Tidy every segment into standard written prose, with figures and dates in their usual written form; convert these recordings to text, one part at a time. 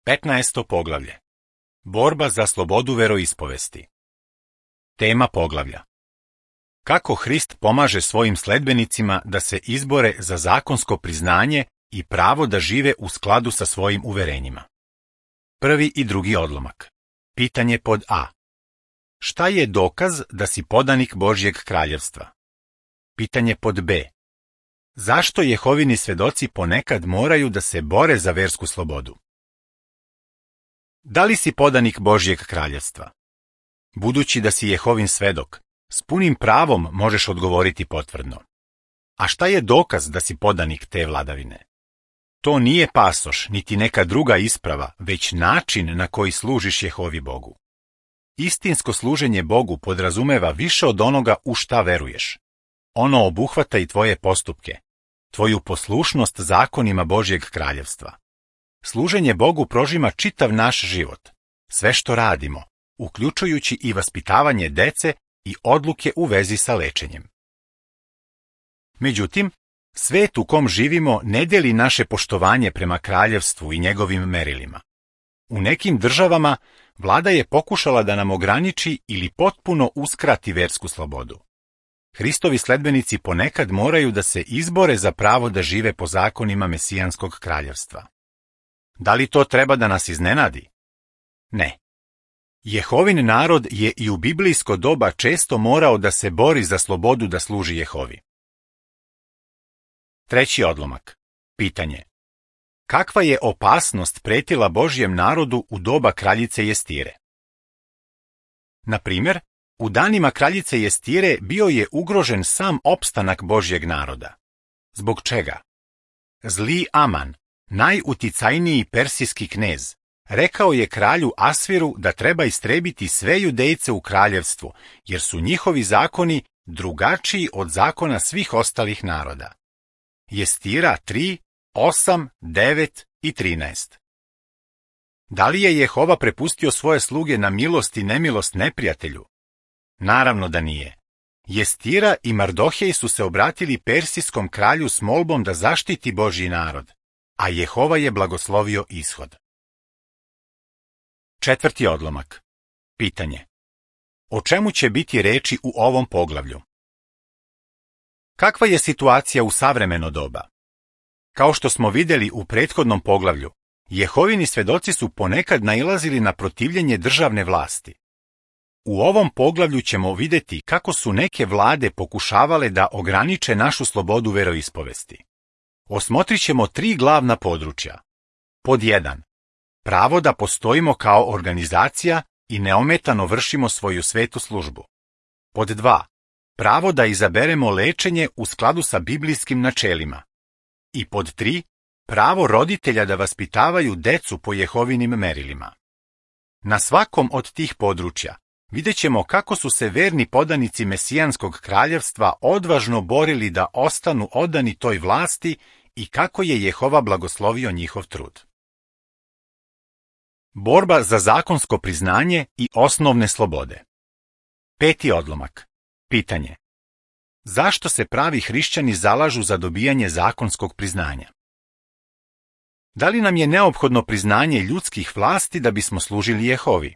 15. poglavlje. Borba za slobodu veroispovesti. Tema poglavlja. Kako Hrist pomaže svojim sledbenicima da se izbore za zakonsko priznanje i pravo da žive u skladu sa svojim uverenjima. Prvi i drugi odlomak. Pitanje pod A. Šta je dokaz da si podanik Božjeg kraljevstva? Pitanje pod B. Zašto Jehovini svedoci ponekad moraju da se bore za versku slobodu? Da li si podanik Božjeg kraljevstva? Budući da si Jehovin svedok, s punim pravom možeš odgovoriti potvrdno. A šta je dokaz da si podanik te vladavine? To nije pasoš, niti neka druga isprava, već način na koji služiš Jehovi Bogu. Istinsko služenje Bogu podrazumeva više od onoga u šta veruješ. Ono obuhvata i tvoje postupke, tvoju poslušnost zakonima Božjeg kraljevstva. Služenje Bogu prožima čitav naš život, sve što radimo, uključujući i vaspitavanje dece i odluke u vezi sa lečenjem. Međutim, svet u kom živimo ne deli naše poštovanje prema kraljevstvu i njegovim merilima. U nekim državama vlada je pokušala da nam ograniči ili potpuno uskrati versku slobodu. Hristovi sledbenici ponekad moraju da se izbore za pravo da žive po zakonima Mesijanskog kraljevstva. Da li to treba da nas iznenadi? Ne. Jehovin narod je i u biblijsko doba često morao da se bori za slobodu da služi Jehovi. Treći odlomak. Pitanje. Kakva je opasnost pretila Božjem narodu u doba kraljice Jestire? Na primjer, u danima kraljice Jestire bio je ugrožen sam opstanak Božjeg naroda. Zbog čega? Zli Aman, najuticajniji persijski knez, rekao je kralju Asviru da treba istrebiti sve Judejce u kraljevstvu, jer su njihovi zakoni drugačiji od zakona svih ostalih naroda. Jestira 3, 8, 9 i 13. Da li je Jehova prepustio svoje sluge na milost i nemilost neprijatelju? Naravno da nije. Jestira i Mardohej su se obratili persijskom kralju s molbom da zaštiti Božji narod, a Jehova je blagoslovio ishod. Četvrti odlomak. Pitanje. O čemu će biti reči u ovom poglavlju? Kakva je situacija u savremeno doba? Kao što smo vidjeli u prethodnom poglavlju, Jehovini svedoci su ponekad nailazili na protivljenje državne vlasti. U ovom poglavlju ćemo vidjeti kako su neke vlade pokušavale da ograniče našu slobodu veroispovesti. Osmotrit ćemo 3 glavna područja. Pod 1. Pravo da postojimo kao organizacija i neometano vršimo svoju svetu službu. Pod 2. Pravo da izaberemo lečenje u skladu sa biblijskim načelima. I pod 3. Pravo roditelja da vaspitavaju decu po Jehovinim merilima. Na svakom od tih područja vidjet ćemo kako su se verni podanici Mesijanskog kraljevstva odvažno borili da ostanu odani toj vlasti i kako je Jehova blagoslovio njihov trud. Borba za zakonsko priznanje i osnovne slobode. Peti odlomak. Pitanje. Zašto se pravi hrišćani zalažu za dobijanje zakonskog priznanja? Da li nam je neophodno priznanje ljudskih vlasti da bismo služili Jehovi?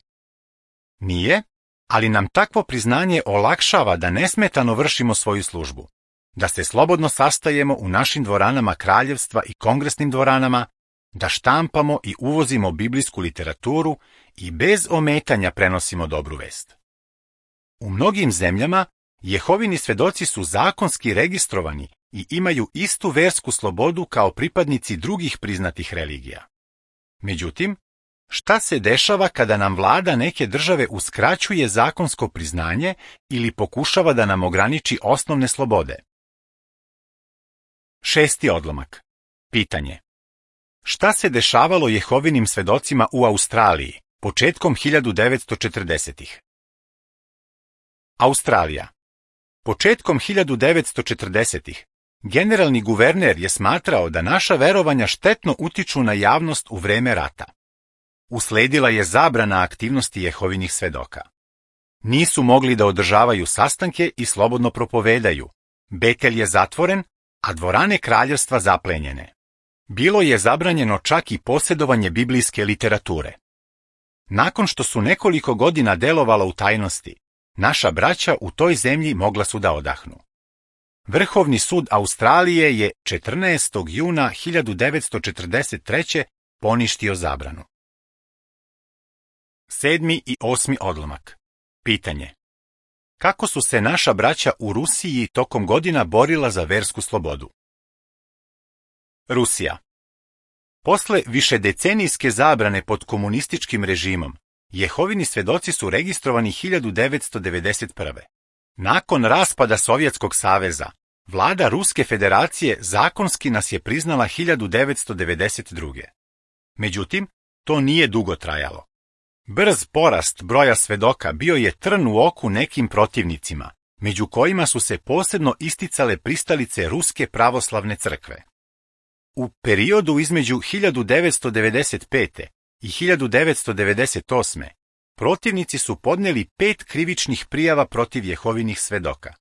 Nije, ali nam takvo priznanje olakšava da nesmetano vršimo svoju službu, da se slobodno sastajemo u našim dvoranama kraljevstva i kongresnim dvoranama, da štampamo i uvozimo biblijsku literaturu i bez ometanja prenosimo dobru vest. U mnogim zemljama Jehovini svedoci su zakonski registrovani i imaju istu versku slobodu kao pripadnici drugih priznatih religija. Međutim, šta se dešava kada nam vlada neke države uskraćuje zakonsko priznanje ili pokušava da nam ograniči osnovne slobode? Šesti odlomak. Pitanje. Šta se dešavalo Jehovinim svedocima u Australiji početkom 1940-ih? Australija. Početkom 1940-ih generalni guverner je smatrao da naša verovanja štetno utiču na javnost u vreme rata. Usledila je zabrana aktivnosti Jehovinih svedoka. Nisu mogli da održavaju sastanke i slobodno propovedaju. Betel je zatvoren, a dvorane kraljevstva zaplenjene. Bilo je zabranjeno čak i posjedovanje biblijske literature. Nakon što su nekoliko godina delovala u tajnosti, naša braća u toj zemlji mogla su da odahnu. Vrhovni sud Australije je 14. juna 1943. poništio zabranu. 7. i 8. odlomak. Pitanje. Kako su se naša braća u Rusiji tokom godina borila za versku slobodu? Rusija. Posle višedecenijske zabrane pod komunističkim režimom, Jehovini svedoci su registrovani 1991. Nakon raspada Sovjetskog saveza, vlada Ruske federacije zakonski nas je priznala 1992. Međutim, to nije dugo trajalo. Brz porast broja svedoka bio je trn u oku nekim protivnicima, među kojima su se posebno isticale pristalice Ruske pravoslavne crkve. U periodu između 1995. i 1998. protivnici su podneli 5 krivičnih prijava protiv Jehovinih svedoka.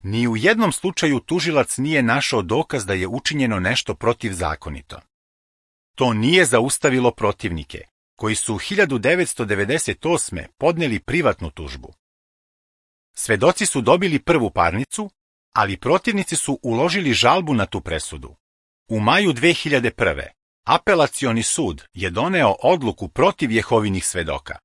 Ni u jednom slučaju tužilac nije našao dokaz da je učinjeno nešto protivzakonito. To nije zaustavilo protivnike, koji su 1998. podneli privatnu tužbu. Svedoci su dobili prvu parnicu, ali protivnici su uložili žalbu na tu presudu. U maju 2001. Apelacioni sud je doneo odluku protiv Jehovinih svedoka.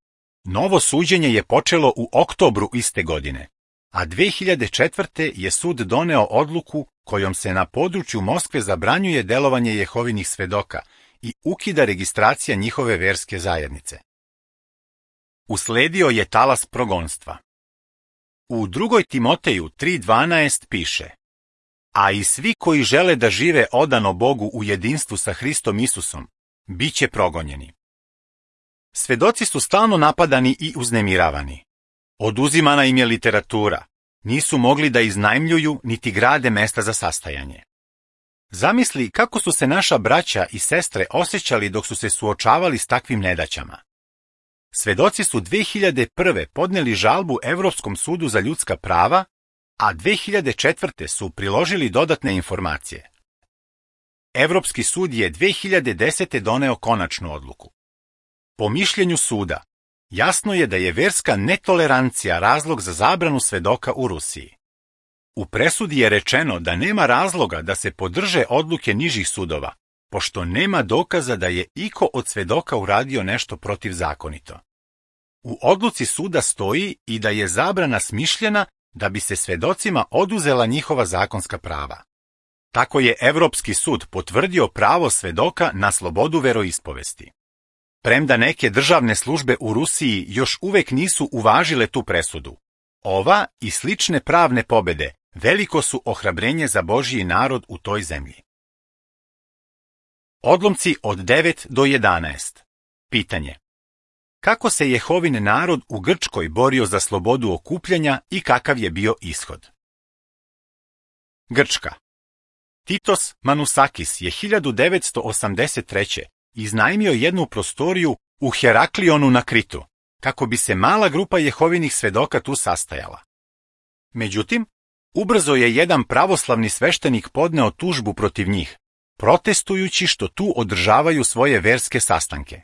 Novo suđenje je počelo u oktobru iste godine, a 2004. je sud doneo odluku kojom se na području Moskve zabranjuje delovanje Jehovinih svedoka i ukida registracija njihove verske zajednice. Usledio je talas progonstva. U 2. Timoteju 3.12 piše: a i svi koji žele da žive odano Bogu u jedinstvu sa Hristom Isusom, bit će progonjeni. Svedoci su stalno napadani i uznemiravani. Oduzimana im je literatura, nisu mogli da iznajmljuju niti grade mesta za sastajanje. Zamisli kako su se naša braća i sestre osjećali dok su se suočavali s takvim nedaćama. Svedoci su 2001. podneli žalbu Evropskom sudu za ljudska prava, a 2004. su priložili dodatne informacije. Evropski sud je 2010. doneo konačnu odluku. Po mišljenju suda, jasno je da je verska netolerancija razlog za zabranu svedoka u Rusiji. U presudi je rečeno da nema razloga da se podrže odluke nižih sudova, pošto nema dokaza da je iko od svedoka uradio nešto protivzakonito. U odluci suda stoji i da je zabrana smišljena da bi se svedocima oduzela njihova zakonska prava. Tako je Evropski sud potvrdio pravo svedoka na slobodu veroispovesti. Premda neke državne službe u Rusiji još uvek nisu uvažile tu presudu, ova i slične pravne pobede veliko su ohrabrenje za Božji narod u toj zemlji. Odlomci od 9 do 11. Pitanje. Kako se Jehovin narod u Grčkoj borio za slobodu okupljanja i kakav je bio ishod? Grčka. Titos Manusakis je 1983. iznajmio jednu prostoriju u Heraklionu na Kritu, kako bi se mala grupa Jehovinih svedoka tu sastajala. Međutim, ubrzo je jedan pravoslavni sveštenik podneo tužbu protiv njih, protestujući što tu održavaju svoje verske sastanke.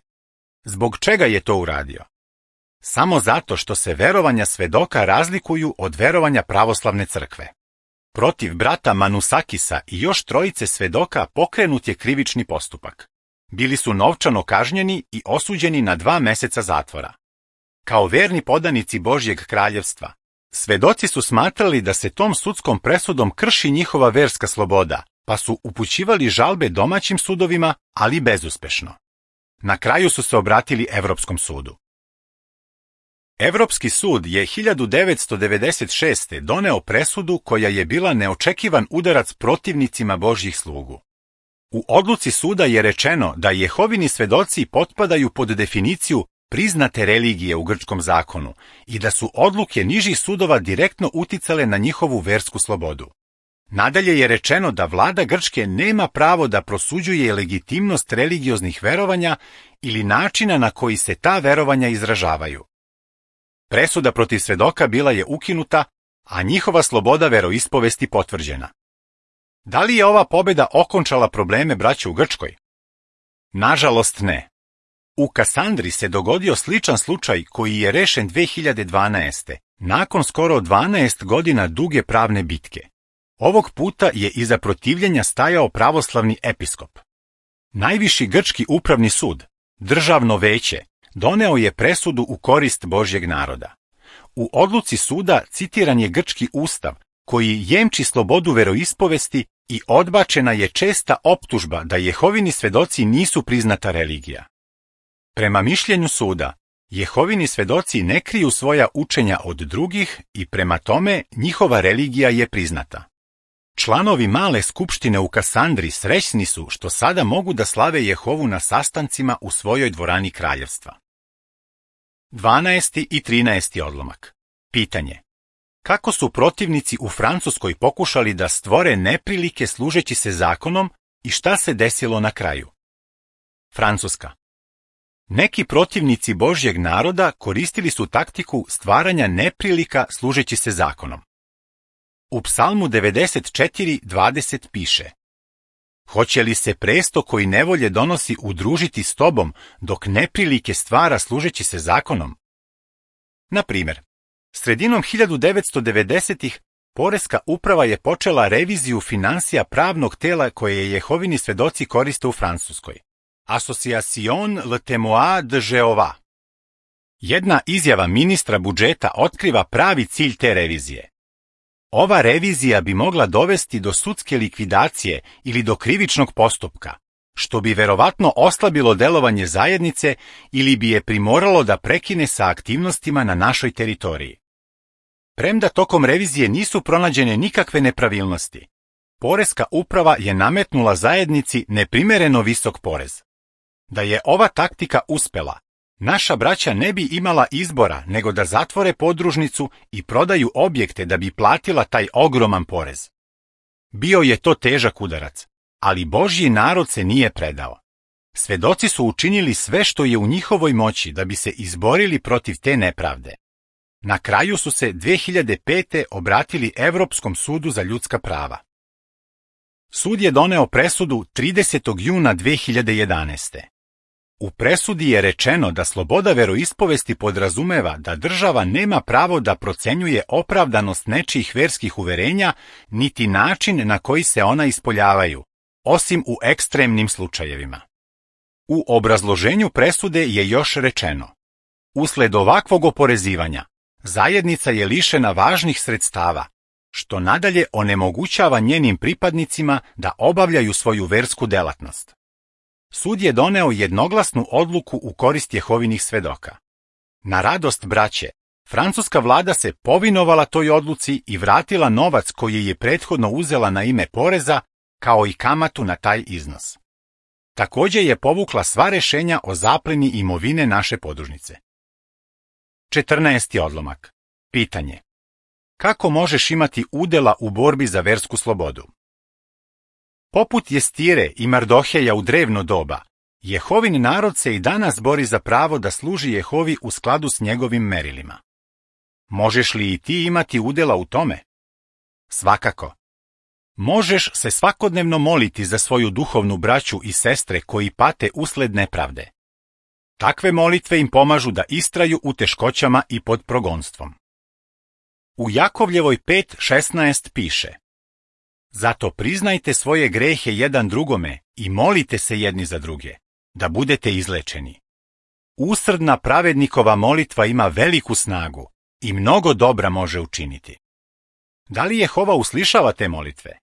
Zbog čega je to uradio? Samo zato što se verovanja svedoka razlikuju od verovanja pravoslavne crkve. Protiv brata Manusakisa i još 3 svedoka pokrenut je krivični postupak. Bili su novčano kažnjeni i osuđeni na 2 meseca zatvora. Kao verni podanici Božjeg kraljevstva, svedoci su smatrali da se tom sudskom presudom krši njihova verska sloboda, pa su upućivali žalbe domaćim sudovima, ali bezuspešno. Na kraju su se obratili Evropskom sudu. Evropski sud je 1996. doneo presudu koja je bila neočekivan udarac protivnicima Božjih slugu. U odluci suda je rečeno da Jehovini svedoci potpadaju pod definiciju priznate religije u grčkom zakonu i da su odluke nižih sudova direktno uticale na njihovu versku slobodu. Nadalje je rečeno da vlada Grčke nema pravo da prosuđuje legitimnost religioznih verovanja ili načina na koji se ta verovanja izražavaju. Presuda protiv svedoka bila je ukinuta, a njihova sloboda veroispovesti potvrđena. Da li je ova pobjeda okončala probleme braće u Grčkoj? Nažalost ne. U Kasandri se dogodio sličan slučaj koji je rešen 2012. nakon skoro 12 godina duge pravne bitke. Ovog puta je iza protivljenja stajao pravoslavni episkop. Najviši grčki upravni sud, državno veće, doneo je presudu u korist Božjeg naroda. U odluci suda citiran je grčki ustav, koji jemči slobodu veroispovesti i odbačena je česta optužba da Jehovini svedoci nisu priznata religija. Prema mišljenju suda, Jehovini svedoci ne kriju svoja učenja od drugih i prema tome njihova religija je priznata. Članovi male skupštine u Kasandri srećni su što sada mogu da slave Jehovu na sastancima u svojoj dvorani kraljevstva. 12. i 13. odlomak. Pitanje. Kako su protivnici u Francuskoj pokušali da stvore neprilike služeći se zakonom i šta se desilo na kraju? Francuska. Neki protivnici Božjeg naroda koristili su taktiku stvaranja neprilika služeći se zakonom. U Psalmu 94:20 piše: Hoće li se presto koji nevolje donosi udružiti s tobom dok neprilike stvara služeći se zakonom? Na primjer, sredinom 1990-ih Poreska uprava je počela reviziju finansija pravnog tela koje Jehovini svedoci koriste u Francuskoj. Association Le Témoin de Jéhovah. Jedna izjava ministra budžeta otkriva pravi cilj te revizije. Ova revizija bi mogla dovesti do sudske likvidacije ili do krivičnog postupka, što bi verovatno oslabilo delovanje zajednice ili bi je primoralo da prekine sa aktivnostima na našoj teritoriji. Premda tokom revizije nisu pronađene nikakve nepravilnosti, Poreska uprava je nametnula zajednici neprimereno visok porez. Da je ova taktika uspela, naša braća ne bi imala izbora nego da zatvore podružnicu i prodaju objekte da bi platila taj ogroman porez. Bio je to težak udarac, ali Božji narod se nije predao. Svedoci su učinili sve što je u njihovoj moći da bi se izborili protiv te nepravde. Na kraju su se 2005. obratili Evropskom sudu za ljudska prava. Sud je doneo presudu 30. juna 2011. U presudi je rečeno da sloboda veroispovesti podrazumeva da država nema pravo da procenjuje opravdanost nečijih verskih uverenja niti način na koji se ona ispoljavaju, osim u ekstremnim slučajevima. U obrazloženju presude je još rečeno: usled ovakvog oporezivanja, zajednica je lišena važnih sredstava, što nadalje onemogućava njenim pripadnicima da obavljaju svoju versku delatnost. Sud je doneo jednoglasnu odluku u korist Jehovinih svedoka. Na radost braće, francuska vlada se povinovala toj odluci i vratila novac koji je prethodno uzela na ime poreza, kao i kamatu na taj iznos. Također je povukla sva rešenja o zapleni imovine naše podružnice. 14. odlomak. Pitanje. Kako možeš imati udela u borbi za versku slobodu? Poput Jestire i Mardoheja u drevno doba, Jehovin narod se i danas bori za pravo da služi Jehovi u skladu s njegovim merilima. Možeš li i ti imati udela u tome? Svakako. Možeš se svakodnevno moliti za svoju duhovnu braću i sestre koji pate usled nepravde. Takve molitve im pomažu da istraju u teškoćama i pod progonstvom. U Jakovljevoj 5:16 piše: Zato priznajte svoje grehe jedan drugome i molite se jedni za druge, da budete izlečeni. Usrdna pravednikova molitva ima veliku snagu i mnogo dobra može učiniti. Da li Jehova uslišava te molitve?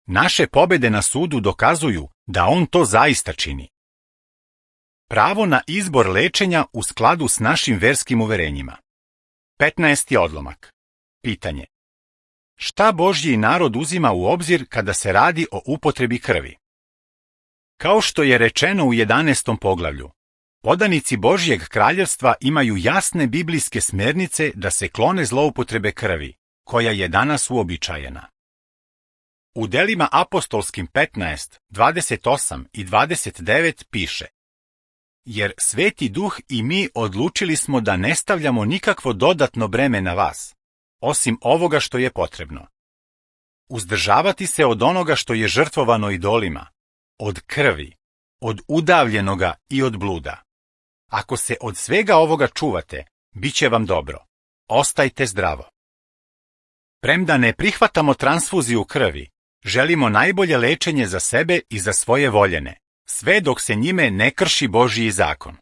Naše pobede na sudu dokazuju da on to zaista čini. Pravo na izbor lečenja u skladu s našim verskim uverenjima. 15. odlomak. Pitanje. Šta Božji narod uzima u obzir kada se radi o upotrebi krvi? Kao što je rečeno u 11. poglavlju, podanici Božjeg kraljevstva imaju jasne biblijske smernice da se klone zloupotrebe krvi, koja je danas uobičajena. U delima apostolskim 15, 28 i 29 piše: Jer Sveti Duh i mi odlučili smo da ne stavljamo nikakvo dodatno breme na vas, osim ovoga što je potrebno. uzdržavati se od onoga što je žrtvovano idolima, od krvi, od udavljenoga i od bluda. Ako se od svega ovoga čuvate, bit će vam dobro. Ostajte zdravo. Premda ne prihvatamo transfuziju krvi, želimo najbolje lečenje za sebe i za svoje voljene, sve dok se njime ne krši Božji zakon.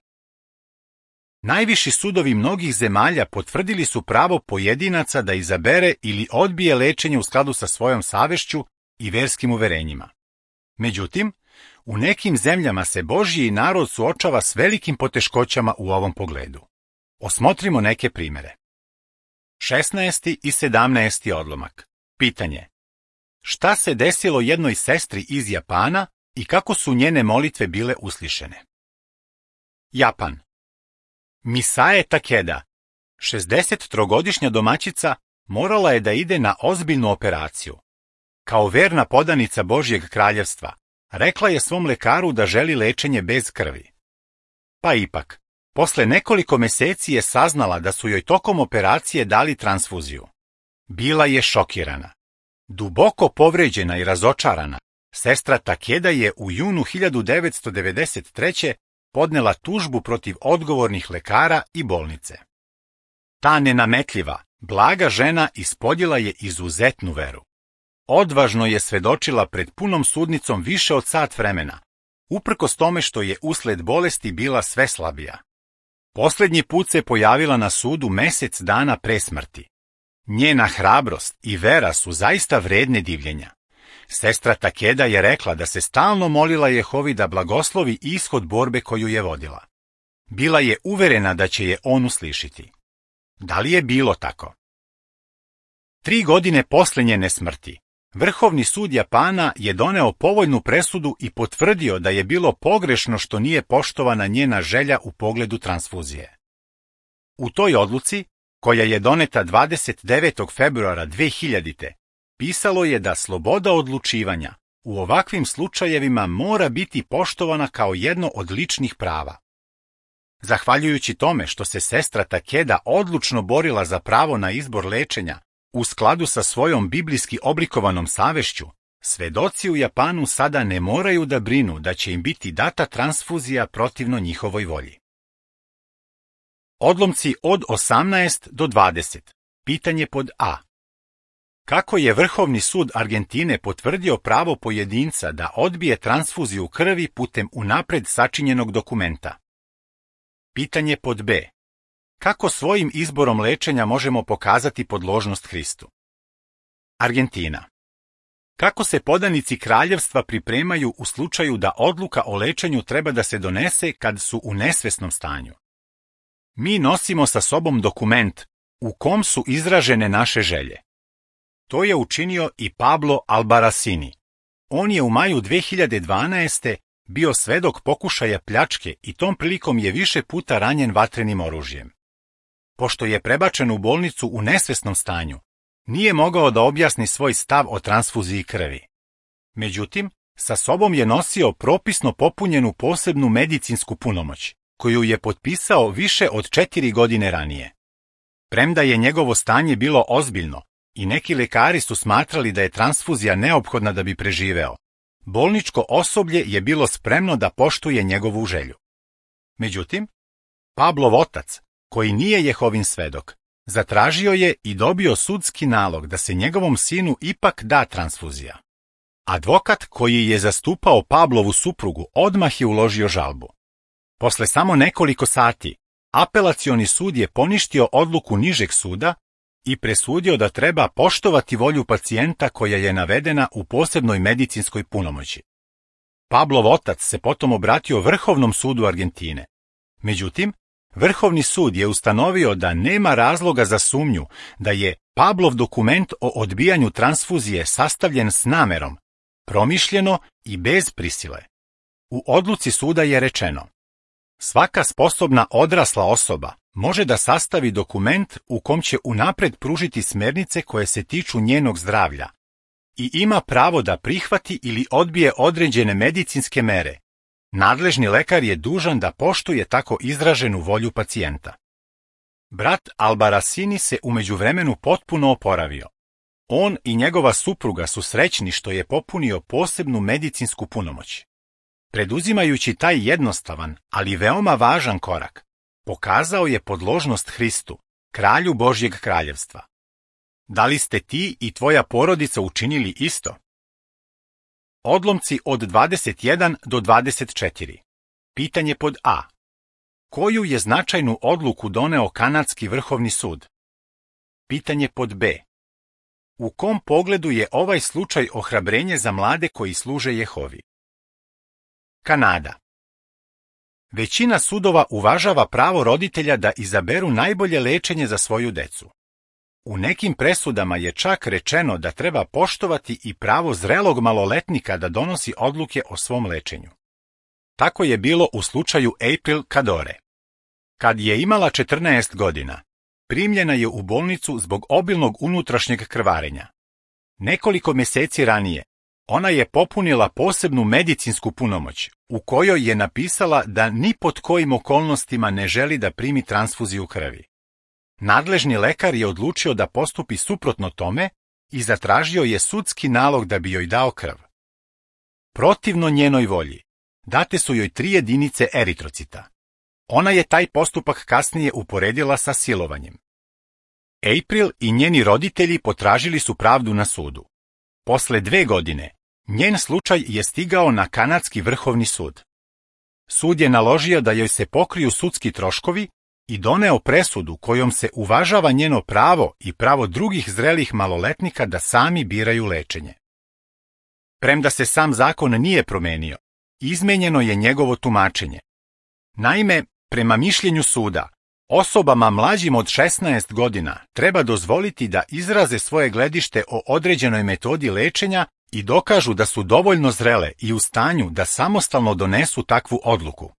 Najviši sudovi mnogih zemalja potvrdili su pravo pojedinaca da izabere ili odbije lečenje u skladu sa svojom savešću i verskim uverenjima. Međutim, u nekim zemljama se Božji narod suočava s velikim poteškoćama u ovom pogledu. Osmotrimo neke primere. 16. i 17. odlomak. Pitanje. Šta se desilo jednoj sestri iz Japana i kako su njene molitve bile uslišene? Japan. Misae Takeda, 63-godišnja domaćica, morala je da ide na ozbiljnu operaciju. Kao verna podanica Božjeg kraljevstva, rekla je svom lekaru da želi lečenje bez krvi. Pa ipak, posle nekoliko meseci je saznala da su joj tokom operacije dali transfuziju. Bila je šokirana. Duboko povređena i razočarana, sestra Takeda je u junu 1993. podnela tužbu protiv odgovornih lekara i bolnice. Ta nenametljiva, blaga žena ispoljila je izuzetnu veru. Odvažno je svedočila pred punom sudnicom više od sat vremena, uprkos tome što je usled bolesti bila sve slabija. Poslednji put se pojavila na sudu mesec dana pre smrti. Njena hrabrost i vera su zaista vredne divljenja. Sestra Takeda je rekla da se stalno molila Jehovi da blagoslovi ishod borbe koju je vodila. Bila je uverena da će je on uslišiti. Da li je bilo tako? 3 godine posle njene smrti, Vrhovni sud Japana je doneo povoljnu presudu i potvrdio da je bilo pogrešno što nije poštovana njena želja u pogledu transfuzije. U toj odluci, koja je doneta 29. februara 2000. pisalo je da sloboda odlučivanja u ovakvim slučajevima mora biti poštovana kao jedno od ličnih prava. Zahvaljujući tome što se sestra Takeda odlučno borila za pravo na izbor lečenja, u skladu sa svojom biblijski oblikovanom savešću, svedoci u Japanu sada ne moraju da brinu da će im biti data transfuzija protivno njihovoj volji. Odlomci od 18 do 20. Pitanje pod A. Kako je Vrhovni sud Argentine potvrdio pravo pojedinca da odbije transfuziju krvi putem unapred sačinjenog dokumenta? Pitanje pod B. Kako svojim izborom lečenja možemo pokazati podložnost Hristu? Argentina. Kako se podanici kraljevstva pripremaju u slučaju da odluka o lečenju treba da se donese kad su u nesvesnom stanju? Mi nosimo sa sobom dokument u kom su izražene naše želje. To je učinio i Pablo Albarracini. On je u maju 2012. bio svedok pokušaja pljačke i tom prilikom je više puta ranjen vatrenim oružjem. Pošto je prebačen u bolnicu u nesvesnom stanju, nije mogao da objasni svoj stav o transfuziji krvi. Međutim, sa sobom je nosio propisno popunjenu posebnu medicinsku punomoć, koju je potpisao više od 4 godine ranije. Premda je njegovo stanje bilo ozbiljno i neki lekari su smatrali da je transfuzija neophodna da bi preživeo, bolničko osoblje je bilo spremno da poštuje njegovu želju. Međutim, Pablov otac, koji nije Jehovin svedok, zatražio je i dobio sudski nalog da se njegovom sinu ipak da transfuzija. Advokat koji je zastupao Pablovu suprugu odmah je uložio žalbu. Posle samo nekoliko sati, apelacioni sud je poništio odluku nižeg suda i presudio da treba poštovati volju pacijenta koja je navedena u posebnoj medicinskoj punomoći. Pablov otac se potom obratio Vrhovnom sudu Argentine. Međutim, Vrhovni sud je ustanovio da nema razloga za sumnju da je Pablov dokument o odbijanju transfuzije sastavljen s namerom, promišljeno i bez prisile. U odluci suda je rečeno: svaka sposobna odrasla osoba može da sastavi dokument u kom će unapred pružiti smernice koje se tiču njenog zdravlja i ima pravo da prihvati ili odbije određene medicinske mere. Nadležni lekar je dužan da poštuje tako izraženu volju pacijenta. Brat Albarracini se u međuvremenu potpuno oporavio. On i njegova supruga su srećni što je popunio posebnu medicinsku punomoć. Preduzimajući taj jednostavan, ali veoma važan korak, pokazao je podložnost Hristu, kralju Božjeg kraljevstva. Da li ste ti i tvoja porodica učinili isto? Odlomci od 21 do 24. Pitanje pod A. Koju je značajnu odluku doneo Kanadski vrhovni sud? Pitanje pod B. U kom pogledu je ovaj slučaj ohrabrenje za mlade koji služe Jehovi? Kanada. Većina sudova uvažava pravo roditelja da izaberu najbolje lečenje za svoju decu. U nekim presudama je čak rečeno da treba poštovati i pravo zrelog maloletnika da donosi odluke o svom lečenju. Tako je bilo u slučaju April Kadore. Kad je imala 14 godina, primljena je u bolnicu zbog obilnog unutrašnjeg krvarenja. Nekoliko mjeseci ranije, ona je popunila posebnu medicinsku punomoć, u kojoj je napisala da ni pod kojim okolnostima ne želi da primi transfuziju krvi. Nadležni lekar je odlučio da postupi suprotno tome i zatražio je sudski nalog da bi joj dao krv. Protivno njenoj volji, date su joj 3 jedinice eritrocita. Ona je taj postupak kasnije uporedila sa silovanjem. April i njeni roditelji potražili su pravdu na sudu. Posle 2 godine, njen slučaj je stigao na Kanadski vrhovni sud. Sud je naložio da joj se pokriju sudski troškovi i doneo presudu kojom se uvažava njeno pravo i pravo drugih zrelih maloletnika da sami biraju lečenje. Premda se sam zakon nije promenio, izmenjeno je njegovo tumačenje. Naime, prema mišljenju suda, osobama mlađim od 16 godina treba dozvoliti da izraze svoje gledište o određenoj metodi lečenja i dokažu da su dovoljno zrele i u stanju da samostalno donesu takvu odluku.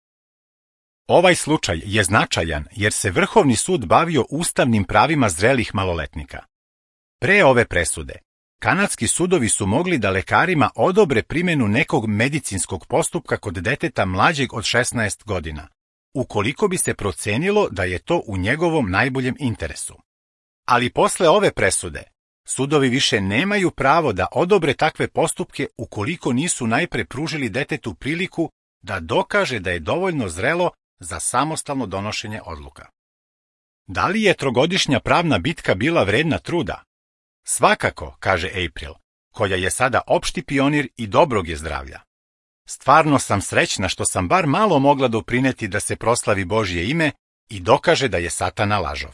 Ovaj slučaj je značajan jer se Vrhovni sud bavio ustavnim pravima zrelih maloletnika. Pre ove presude, kanadski sudovi su mogli da lekarima odobre primjenu nekog medicinskog postupka kod deteta mlađeg od 16 godina, ukoliko bi se procenilo da je to u njegovom najboljem interesu. Ali posle ove presude, sudovi više nemaju pravo da odobre takve postupke ukoliko nisu najpre pružili detetu priliku da dokaže da je dovoljno zrelo za samostalno donošenje odluka. Da li je 3-godišnja pravna bitka bila vredna truda? Svakako, kaže April, koja je sada opšti pionir i dobrog je zdravlja. Stvarno sam srećna što sam bar malo mogla doprineti da se proslavi Božje ime i dokaže da je Satana lažov.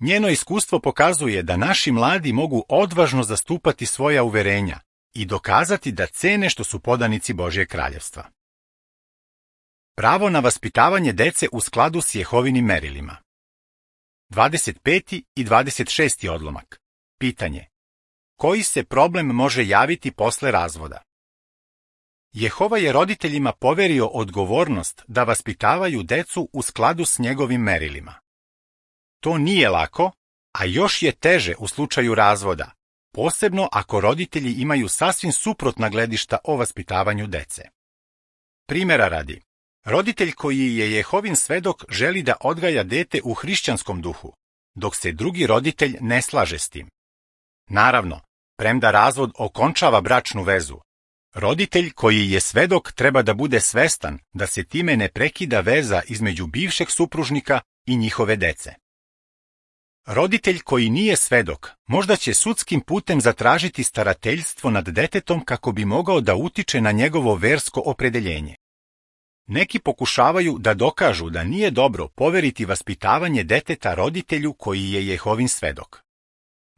Njeno iskustvo pokazuje da naši mladi mogu odvažno zastupati svoja uverenja i dokazati da cene što su podanici Božjeg kraljevstva. Pravo na vaspitavanje dece u skladu s Jehovinim merilima. 25. i 26. odlomak. Pitanje. Koji se problem može javiti posle razvoda? Jehova je roditeljima poverio odgovornost da vaspitavaju decu u skladu s njegovim merilima. To nije lako, a još je teže u slučaju razvoda, posebno ako roditelji imaju sasvim suprotna gledišta o vaspitavanju dece. Primera radi, roditelj koji je Jehovin svedok želi da odgaja dete u hrišćanskom duhu, dok se drugi roditelj ne slaže s tim. Naravno, premda razvod okončava bračnu vezu, roditelj koji je svedok treba da bude svestan da se time ne prekida veza između bivšeg supružnika i njihove dece. Roditelj koji nije svedok možda će sudskim putem zatražiti starateljstvo nad detetom kako bi mogao da utiče na njegovo versko opredeljenje. Neki pokušavaju da dokažu da nije dobro poveriti vaspitavanje deteta roditelju koji je Jehovin svedok.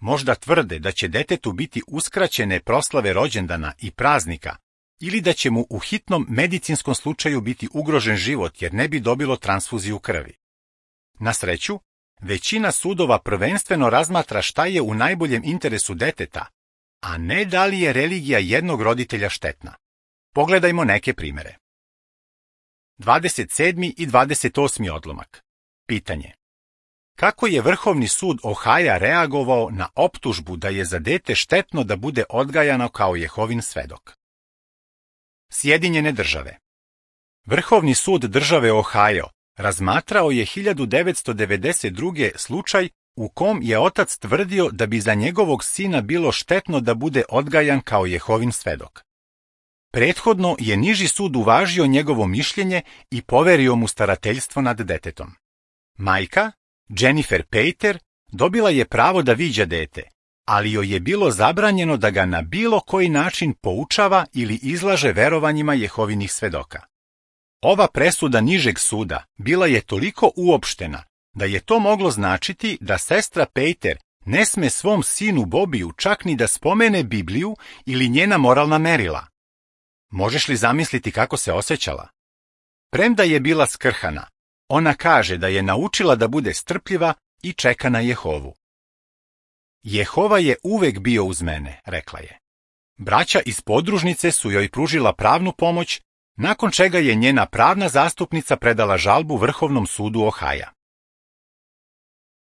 Možda tvrde da će detetu biti uskraćene proslave rođendana i praznika ili da će mu u hitnom medicinskom slučaju biti ugrožen život jer ne bi dobilo transfuziju krvi. Na sreću, većina sudova prvenstveno razmatra šta je u najboljem interesu deteta, a ne da li je religija jednog roditelja štetna. Pogledajmo neke primere. 27. i 28. odlomak. Pitanje. Kako je Vrhovni sud Ohaja reagovao na optužbu da je za dete štetno da bude odgajano kao Jehovin svedok? Sjedinjene države. Vrhovni sud države Ohajo razmatrao je 1992. slučaj u kom je otac tvrdio da bi za njegovog sina bilo štetno da bude odgajan kao Jehovin svedok. Prethodno je niži sud uvažio njegovo mišljenje i poverio mu starateljstvo nad detetom. Majka, Jennifer Pater, dobila je pravo da viđa dete, ali joj je bilo zabranjeno da ga na bilo koji način poučava ili izlaže verovanjima Jehovinih svedoka. Ova presuda nižeg suda bila je toliko uopštena da je to moglo značiti da sestra Pater ne sme svom sinu Bobiju čak ni da spomene Bibliju ili njena moralna merila. Možeš li zamisliti kako se osjećala? Premda je bila skrhana, ona kaže da je naučila da bude strpljiva i čeka na Jehovu. Jehova je uvek bio uz mene, rekla je. Braća iz podružnice su joj pružila pravnu pomoć, nakon čega je njena pravna zastupnica predala žalbu Vrhovnom sudu Ohaja.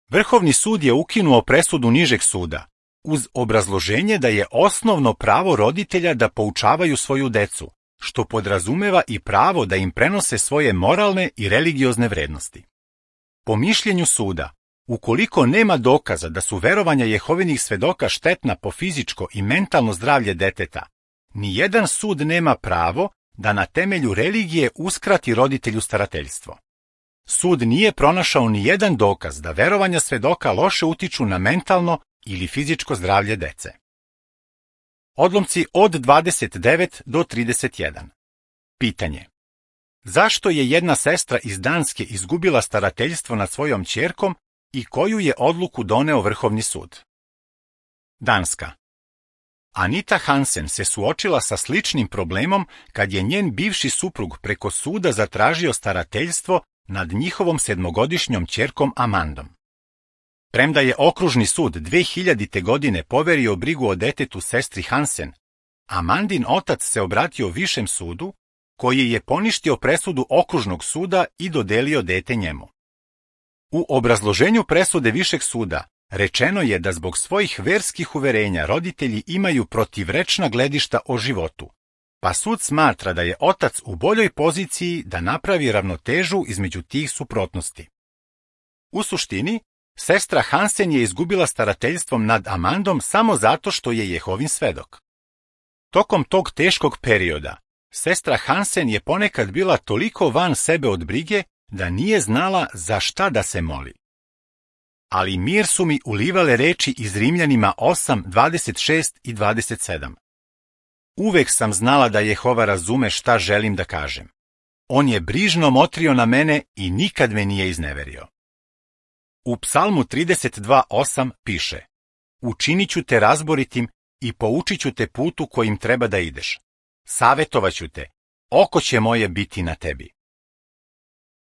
Vrhovni sud je ukinuo presudu nižeg suda, uz obrazloženje da je osnovno pravo roditelja da poučavaju svoju decu, što podrazumeva i pravo da im prenose svoje moralne i religiozne vrednosti. Po mišljenju suda, ukoliko nema dokaza da su verovanja Jehovinih svedoka štetna po fizičko i mentalno zdravlje deteta, nijedan sud nema pravo da na temelju religije uskrati roditelju starateljstvo. Sud nije pronašao nijedan dokaz da verovanja svedoka loše utiču na mentalno ili fizičko zdravlje dece. Odlomci od 29 do 31. Pitanje. Zašto je jedna sestra iz Danske izgubila starateljstvo nad svojom ćerkom i koju je odluku doneo Vrhovni sud? Danska. Anita Hansen se suočila sa sličnim problemom kad je njen bivši suprug preko suda zatražio starateljstvo nad njihovom 7-godišnjom ćerkom Amandom. Premda je okružni sud 2000. godine poverio brigu o detetu sestri Hansen, Amandin otac se obratio višem sudu, koji je poništio presudu okružnog suda i dodelio dete njemu. U obrazloženju presude višeg suda rečeno je da zbog svojih verskih uverenja roditelji imaju protivrečna gledišta o životu, pa sud smatra da je otac u boljoj poziciji da napravi ravnotežu između tih suprotnosti. U suštini, sestra Hansen je izgubila starateljstvom nad Amandom samo zato što je Jehovin svedok. Tokom tog teškog perioda, sestra Hansen je ponekad bila toliko van sebe od brige da nije znala za šta da se moli. Ali mir su mi ulivale reči iz Rimljanima 8, 26 i 27. Uvek sam znala da Jehova razume šta želim da kažem. On je brižno motrio na mene i nikad me nije izneverio. U Psalmu 32:8 piše: Učinit ću te razboritim i poučit ću te putu kojim treba da ideš. Savetovaću te, oko će moje biti na tebi.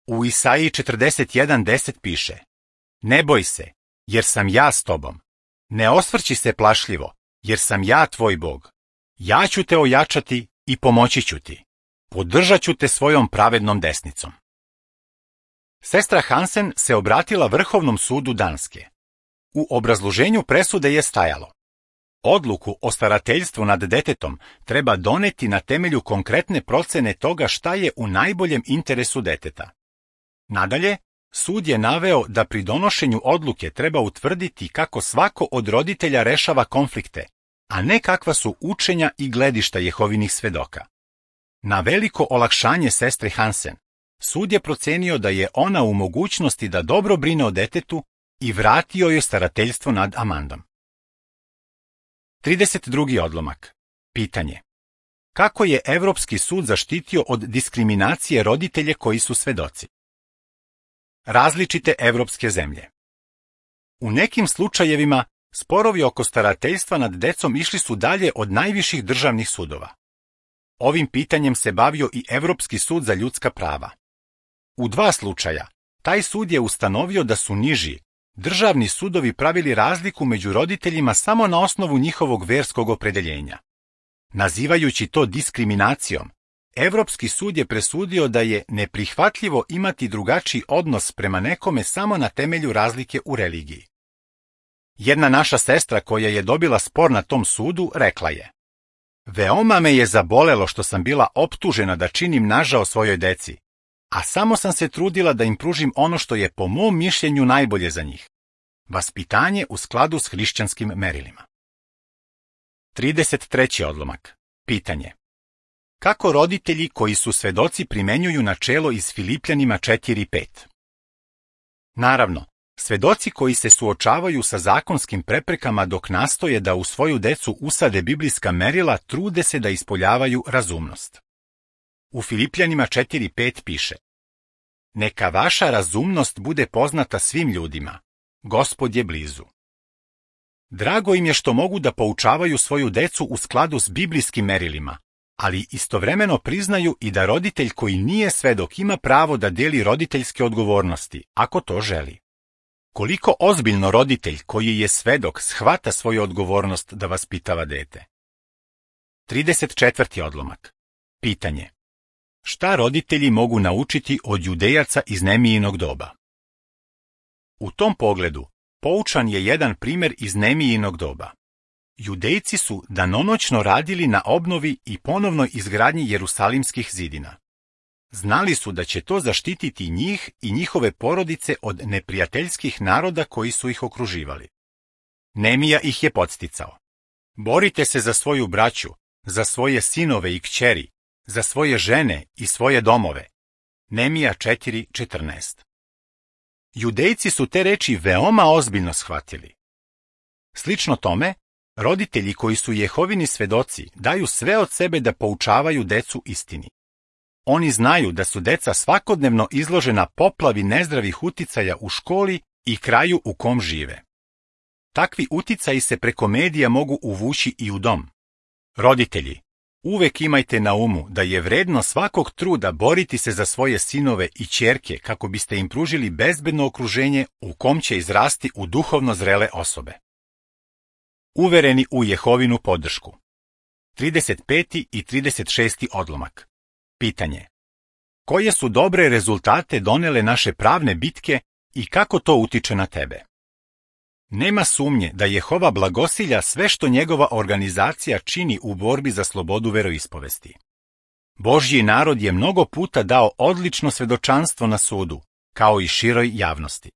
U Isaiji 41:10 piše: Ne boj se, jer sam ja s tobom. Ne osvrći se plašljivo, jer sam ja tvoj Bog. Ja ću te ojačati i pomoći ću ti. Podržat ću te svojom pravednom desnicom. Sestra Hansen se obratila Vrhovnom sudu Danske. U obrazloženju presude je stajalo: Odluku o starateljstvu nad detetom treba doneti na temelju konkretne procene toga šta je u najboljem interesu deteta. Nadalje, sud je naveo da pri donošenju odluke treba utvrditi kako svako od roditelja rešava konflikte, a ne kakva su učenja i gledišta Jehovinih svedoka. Na veliko olakšanje sestre Hansen, sud je procenio da je ona u mogućnosti da dobro brine o detetu i vratio joj starateljstvo nad Amandom. 32. odlomak. Pitanje. Kako je Evropski sud zaštitio od diskriminacije roditelje koji su svedoci? Različite evropske zemlje. U nekim slučajevima sporovi oko starateljstva nad decom išli su dalje od najviših državnih sudova. Ovim pitanjem se bavio i Evropski sud za ljudska prava. U 2 slučaja, taj sud je ustanovio da su niži državni sudovi pravili razliku među roditeljima samo na osnovu njihovog verskog opredeljenja. Nazivajući to diskriminacijom, Evropski sud je presudio da je neprihvatljivo imati drugačiji odnos prema nekome samo na temelju razlike u religiji. Jedna naša sestra koja je dobila spor na tom sudu rekla je: Veoma me je zabolelo što sam bila optužena da činim nažao svojoj deci, a samo sam se trudila da im pružim ono što je po mom mišljenju najbolje za njih. Vaspitanje u skladu s hrišćanskim merilima. 33. odlomak. Pitanje. Kako roditelji koji su svedoci primenjuju načelo iz Filipljanima 4:5? Naravno, svedoci koji se suočavaju sa zakonskim preprekama dok nastoje da u svoju decu usade biblijska merila trude se da ispoljavaju razumnost. U Filipljanima 4:5 piše: Neka vaša razumnost bude poznata svim ljudima. Gospod je blizu. Drago im je što mogu da poučavaju svoju decu u skladu s biblijskim merilima, ali istovremeno priznaju i da roditelj koji nije svedok ima pravo da deli roditeljske odgovornosti, ako to želi. Koliko ozbiljno roditelj koji je svedok shvata svoju odgovornost da vaspitava dete? 34. odlomak. Pitanje. Šta roditelji mogu naučiti od Judejaca iz Nemijinog doba? U tom pogledu, poučan je jedan primjer iz Nemijinog doba. Judejci su danonoćno radili na obnovi i ponovnoj izgradnji Jerusalimskih zidina. Znali su da će to zaštititi njih i njihove porodice od neprijateljskih naroda koji su ih okruživali. Nemija ih je podsticao. Borite se za svoju braću, za svoje sinove i kćeri, za svoje žene i svoje domove. Nemija 4:14. Judejci su te reči veoma ozbiljno shvatili. Slično tome, roditelji koji su Jehovini svedoci daju sve od sebe da poučavaju decu istini. Oni znaju da su deca svakodnevno izložena poplavi nezdravih uticaja u školi i kraju u kom žive. Takvi uticaji se preko medija mogu uvući i u dom. Roditelji, uvek imajte na umu da je vredno svakog truda boriti se za svoje sinove i ćerke kako biste im pružili bezbedno okruženje u kom će izrasti u duhovno zrele osobe. Uvereni u Jehovinu podršku. 35. i 36. odlomak. Pitanje. Koje su dobre rezultate donele naše pravne bitke i kako to utiče na tebe? Nema sumnje da Jehova blagosilja sve što njegova organizacija čini u borbi za slobodu veroispovesti. Božji narod je mnogo puta dao odlično svedočanstvo na sudu, kao i široj javnosti.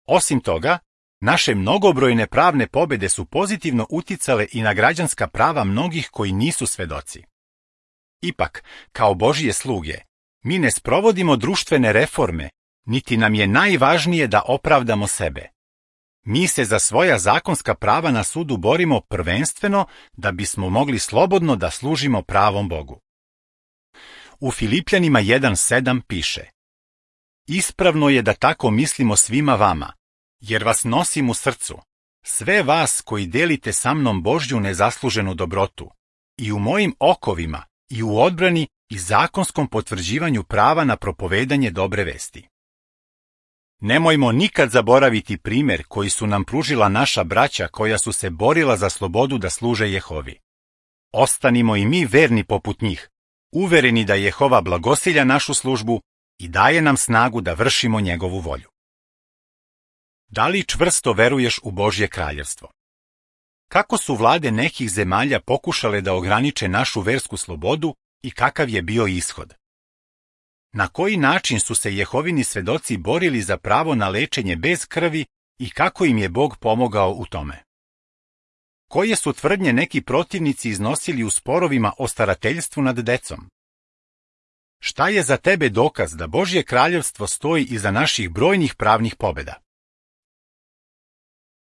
Osim toga, naše mnogobrojne pravne pobede su pozitivno uticale i na građanska prava mnogih koji nisu svedoci. Ipak, kao Božje sluge, mi ne sprovodimo društvene reforme, niti nam je najvažnije da opravdamo sebe. Mi se za svoja zakonska prava na sudu borimo prvenstveno da bismo mogli slobodno da služimo pravom Bogu. U Filipljanima 1:7 piše: Ispravno je da tako mislimo svima vama, jer vas nosim u srcu, sve vas koji delite sa mnom Božju nezasluženu dobrotu, i u mojim okovima, i u odbrani i zakonskom potvrđivanju prava na propovedanje dobre vesti. Nemojmo nikad zaboraviti primjer koji su nam pružila naša braća koja su se borila za slobodu da služe Jehovi. Ostanimo i mi verni poput njih, uvereni da Jehova blagosilja našu službu i daje nam snagu da vršimo njegovu volju. Da li čvrsto veruješ u Božje kraljevstvo? Kako su vlade nekih zemalja pokušale da ograniče našu versku slobodu i kakav je bio ishod? Na koji način su se Jehovini svedoci borili za pravo na lečenje bez krvi i kako im je Bog pomogao u tome? Koje su tvrdnje neki protivnici iznosili u sporovima o starateljstvu nad decom? Šta je za tebe dokaz da Božje kraljevstvo stoji iza naših brojnih pravnih pobeda?